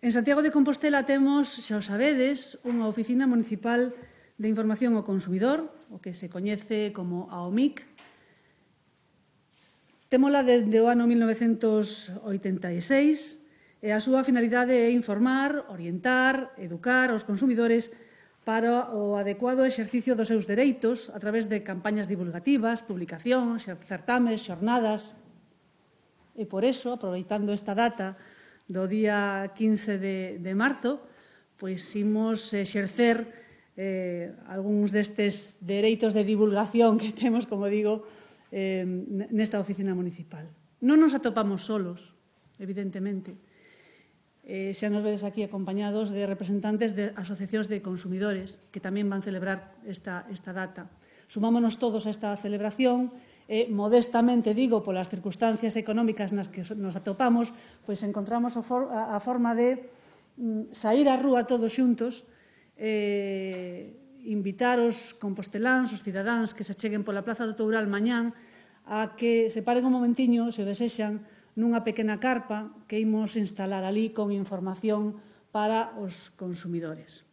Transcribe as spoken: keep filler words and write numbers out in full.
En Santiago de Compostela temos, xa o sabedes, unha oficina municipal de información ao consumidor, o que se coñece como a O M I C. Témola desde o ano mil novecentos oitenta e seis e a súa finalidade é informar, orientar, educar aos consumidores para o adecuado exercicio dos seus dereitos a través de campañas divulgativas, publicacións, certames, xornadas. E por eso, aproveitando esta data do día quince de, de marzo, pois imos exercer eh, algúns destes dereitos de divulgación que temos, como digo, eh, nesta oficina municipal. Non nos atopamos solos, evidentemente. Eh, xa nos vedes aquí acompañados de representantes de asociacións de consumidores que tamén van celebrar esta, esta data. Sumámonos todos a esta celebración e, modestamente digo, polas circunstancias económicas nas que nos atopamos, pois encontramos a, for a, a forma de mm, sair á rúa todos xuntos, eh, invitar os composteláns, os cidadáns que se cheguen pola Plaza do Toural mañán a que se paren un momentiño, se o desexan, nunha pequena carpa que imos instalar ali con información para os consumidores.